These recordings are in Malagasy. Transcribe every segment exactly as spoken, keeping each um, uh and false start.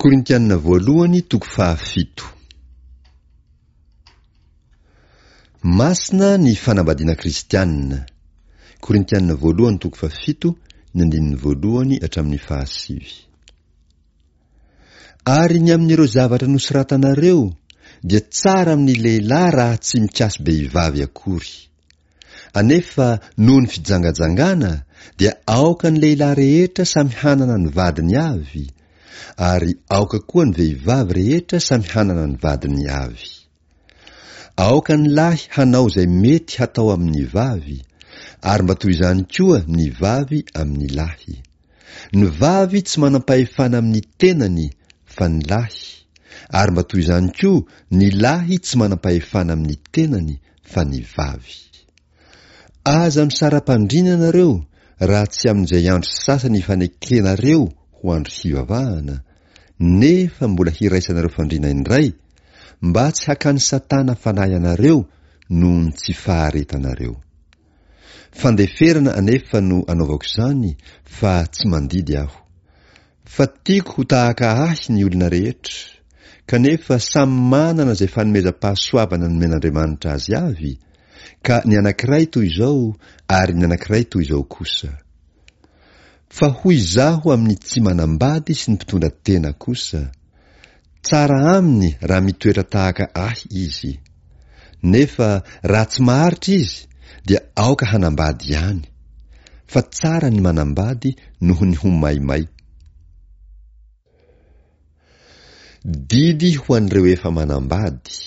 Korintiana voalohany toko fahafito. Masina ny fanambadiana kristianina. Korintiana voalohany toko fahafito, ny andininy voalohany hatramin'ny fahasivy. Ary ny amin'ireo zavatra nosoratanareo dia tsara amin'ny lehilahy raha tsy mikasi-behivavy akory. Anefa noho ny fijangajangana dia aoka ny lehilahy rehetra samy hanana ny vadiny avy, ary aoka koa ny vehivavy rehetra samy hanana ny vadiny avy. Aoka ny lahy hanao izay mety hatao amin'ny vavy, ary mba toy izany koa ny vavy amin'ny lahy. Ny vavy tsy manam-pahefana amin'ny tenany fa ny lahy, ary mba toy izany koa ny lahy tsy manam-pahefana amin'ny tenany fa ny vavy. Aza misara-pandriana ianareo raha tsy amin'izay andro sasany ifanekenareo ho andro hivavahana, nefa mbola hiraisanareo fandriana indray, mba tsy hakan'i Satana fanahy anareo noho ny tsy faharetanareo. Fandeferana anefa no anaovako izany fa tsy mandidy aho. Fa tiako ho tahaka ahy ny olona rehetra, kanefa samy manana izay fanomezam-pahasoavana nomen'Andriamanitra azy avy, ka ny anankiray toy izao ary ny anankiray toy izao kosa. Fa hoy izaho amin'ny tsy manambady sy ny mpitondra tena kosa, tsara aminy raha mitoetra tahaka ahy izy. Nefa raha tsy maharitra izy dia aoka hanambady ihany, fa tsara ny manambady noho ny ho maimay. Didy ho an'ireo efa manambady.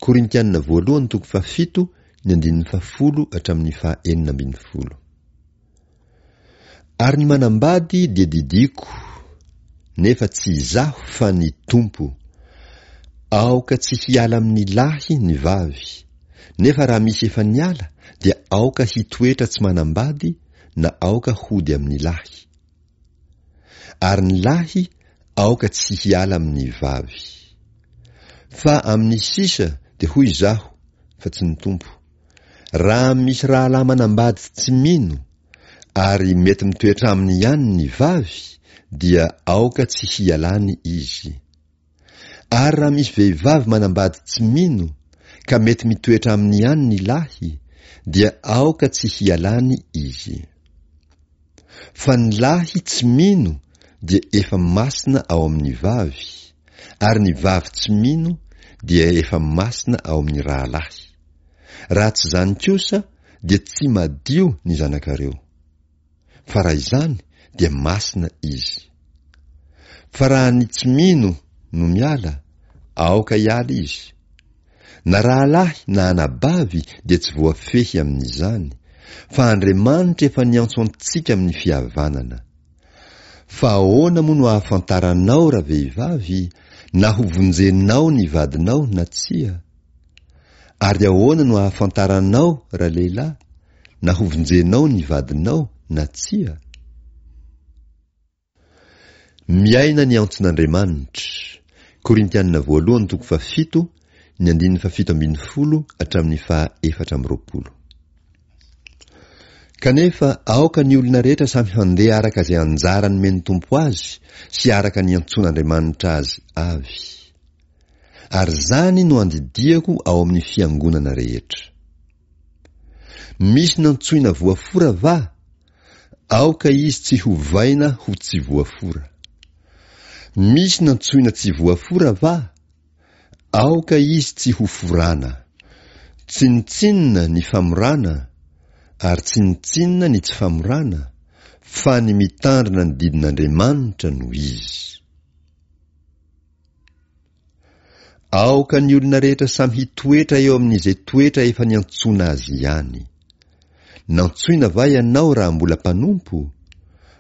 Korintiana voalohany toko fahafito, ny andininy fahafolo hatramin'ny fahaenina ambin'ny folo. Ary ny manambady dia didiako, nefa tsy izaho fa ny Tompo. Aoka tsy hiala amin'ny lahy ny vavy, nefa raha misy efa niala dia aoka hitoetra tsy manambady na aoka hody amin'ny lahy. Ary ny lahy aoka tsy hiala amin'ny vavy. Fa amin'ny sisa dia hoy izaho, fa tsy ny Tompo, raha misy rahalahy manambady tsy mino, ary mety mitoetra aminy ihany ny vavy, dia aoka tsy hialany izy. Ary raha misy vehivavy manambady tsy mino, ka mety mitoetra aminy ihany ny lahy, dia aoka tsy hialany izy. Fa ny lahy tsy mino dia efa masina ao amin'ny vavy, ary ny vavy tsy mino dia efa masina ao amin'ny rahalahy. Raha tsy izany kosa dia tsy madio ny zanakareo. Fa raha izany dia masina izy. Fa raha ny tsy mino no miala, aoka hiala izy. Na rahalahy na anabavy dia tsy voafehy amin'izany, fa Andriamanitra efa niantso antsika amin'ny fihavanana. Fa ahoana moa no ahafantaranao ravehivavy na ho vonjenao ny vadinao na tsia? Ary ahoana no ahafantaranao ralehilahy na ho vonjenao ny vadinao na tsia? Miaina ny antson'Andriamanitra. Korintiana voalohany toko fahafito, ny andininy fahafito ambin'ny folo hatramin'ny faha efatra amby roapolo. Kanefa aoka ny olona rehetra samy handeha araka izay anjara nomen'ny Tompo azy sy araka ny antsoan'Andriamanitra azy avy. Ary izany no andidiako ao amin'ny fiangonana rehetra. Misy nantsoina voafora va? Aoka izy tsy hovaina ho tsy voafora. Misy nantsoina tsy voafora va? Aoka izy tsy ho forana. Tsinontsinona ny famorana, ary tsinontsinona ny tsy famorana, fa ny mitandrina ny didin'Andriamanitra no izy. Aoka ny olona rehetra samy hitoetra eo amin'izay toetra efa niantsoana azy ihany. Nantsoina va ianao raha mbola mpanompo?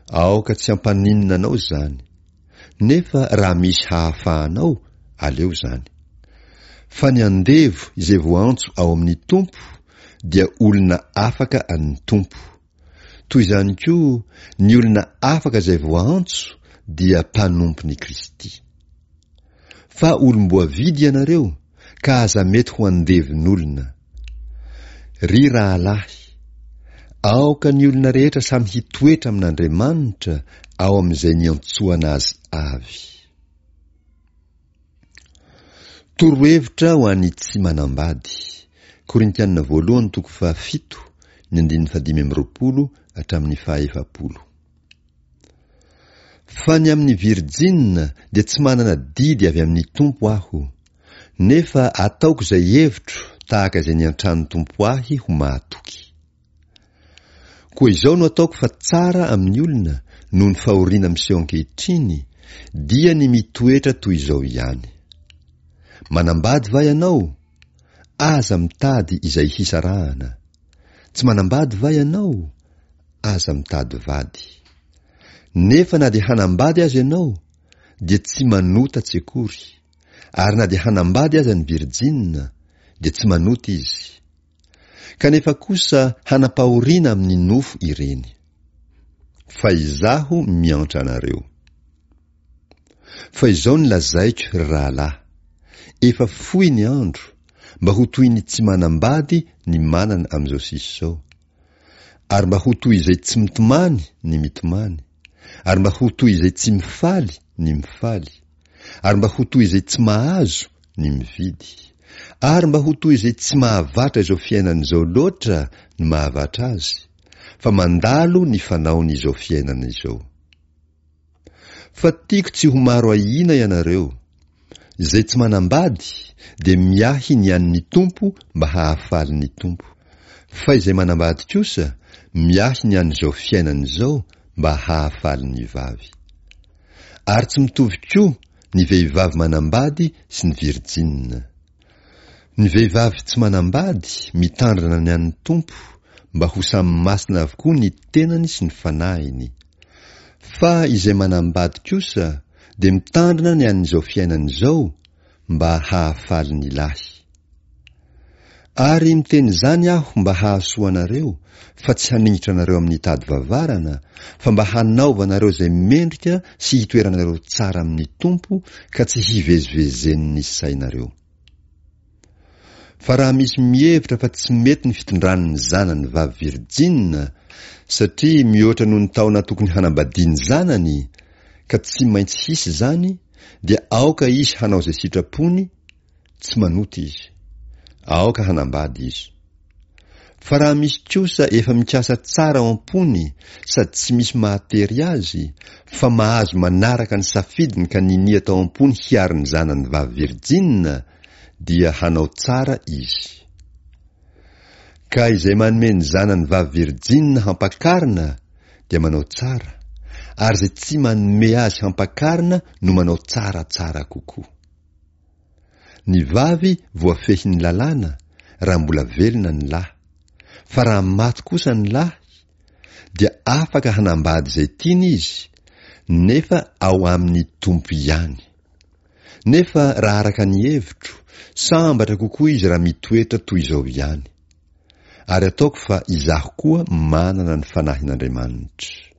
Aoka tsy hampaninona anao izany. Nefa raha misy hahafahanao, aleo izany. Fa ny andevo izay voaantso ao amin'ny Tompo dia olona afaka an'ny Tompo. Toy izany koa, ny olona afaka izay voaantso dia mpanompon'i Kristy. Fa olom-boavidy ianareo, ka aza mety ho andevon'olona. Ry rahalahy, aoka ny olona rehetra samy hitoetra amin'Andriamanitra ao amin'izay niantsoana azy avy. Torohevitra ho an'ny tsy manambady. Korintianina voalohany toko fahafito, ny andininy fahadimy amby roapolo hatramin'ny fahaefapolo. Fa ny amin'ny virjinina dia tsy manana didy avy amin'ny Tompo aho, nefa ataoko izay hevitro tahaka izay niantran'ny Tompo ahy ho mahatoky. Koa izao no ataoko fa tsara amin'ny olona noho ny fahoriana miseho ankehitriny, dia ny mitoetra toy izao ihany. Manambady va ianao? Aza mitady izay hisarahana. Tsy manambady va ianao? Aza mitady vady. Nefa na dia hanambady aza ianao, dia tsy manota tsy akory, ary na dia hanambady aza ny virjinina, dia tsy manota izy. Kanefa kosa hanam-pahoriana amin'ny nofo ireny. Fa izaho miantra anareo. Fa izao no lazaiko, ry rahalahy, efa fohy ny andro, mba ho toy ny tsy manambady ny manana amin'izao sisa izao, ary mba ho toy izay tsy mitomany ny mitomany, ary mba ho toy izay tsy mifaly ny mifaly, ary mba ho toy izay tsy mahazo ny mividy, ary mba ho toy izay tsy mahavatra izao fiainana izao loatra ny mahavatra azy, fa mandalo ny fanaon'izao fiainana izao. Fa tiako tsy ho maro ahiana ianareo. Izay tsy manambady dia miahy ny an'ny Tompo mba hahafaly ny Tompo. Fa izay manambady kosa miahy ny an'izao fiainana izao mba hahafaly ny vavy. Ary tsy mitovy koa ny vehivavy manambady sy ny virjinina. Ny vehivavy tsy manambady mitandrina ny an'ny Tompo mba ho samy masina avokoa ny tenany sy ny fanahiny. Fa izay manambady kosa dia mitandrina ny an'izao fiainana izao mba hahafaly ny lahy. Ary miteny izany aho mba hahasoa anareo, fa tsy haningitra anareo amin'ny tady vavarana, fa mba hanaovanareo izay mendrika sy hitoeranareo tsara amin'ny Tompo ka tsy hivezivezen'ny sainareo. Fa raha misy mihevitra fa tsy mety ny fitondrany ny zanany vavy virjinina, satria mihoatra noho ny taona tokony hanambadiany zanany, ka tsy maintsy hisy izany, dia aoka izy hanao izay sitrapony, tsy manota izy. Aoka hanambady izy. Fa raha misy kosa efa mikasa tsara ao am-pony sady tsy misy mahatery azy, fa mahazo manaraka ny safidiny ka ninia tao am-pony hiaro ny zanany vavy virjinina, dia hanao tsara izy. Ka izay manome ny zanany vavy virjinina hampakarina dia manao tsara, ary izay tsy manome azy hampakarina no manao tsaratsara kokoa. Ny vavy voafehin'ny lalàna raha mbola velona ny lahy, fa raha maty kosa ny lahy, dia afaka hanambady izay tiany izy, nefa ao amin'ny Tompo ihany. Nefa raha araka ny hevitro, sambatra kokoa izy raha mitoetra toy izao ihany. Ary ataoko fa izaho koa manana ny Fanahin'Andriamanitra.